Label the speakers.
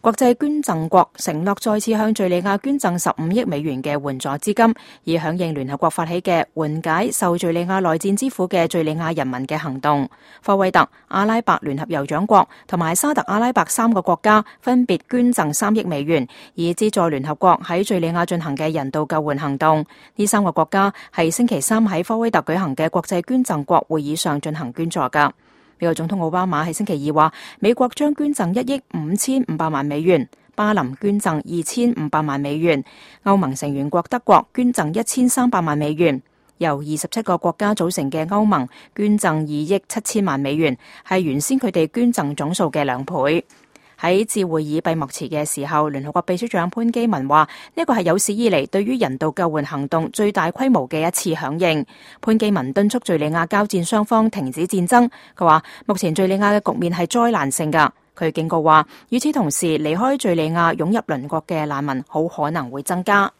Speaker 1: 國際捐贈國承諾再次向敘利亞捐贈15億美元嘅援助資金，以響應聯合國發起嘅緩解受敘利亞內戰之苦嘅敘利亞人民嘅行動。科威特、阿拉伯聯合酋長國同埋沙特阿拉伯3個國家分別捐贈3億美元，以資助聯合國喺敘利亞進行嘅人道救援行動。呢3個國家係星期3喺科威特舉行嘅國際捐贈國會議上進行捐助㗎。美國總統奧巴馬喺星期2話，美國將捐贈1億5500萬美元，巴林捐贈2500萬美元，歐盟成員國德國捐贈1300萬美元，由27個國家組成嘅歐盟捐贈2億7000萬美元，係原先佢哋捐贈總數嘅2倍。喺致會議閉幕詞嘅時候，聯合國秘書長潘基文話：呢個係有史以嚟對於人道救援行動最大規模嘅一次響應。潘基文敦促敘利亞交戰雙方停止戰爭。佢話：目前敘利亞嘅局面係災難性㗎。佢警告話：與此同時，離開敘利亞湧入鄰國嘅難民好可能會增加。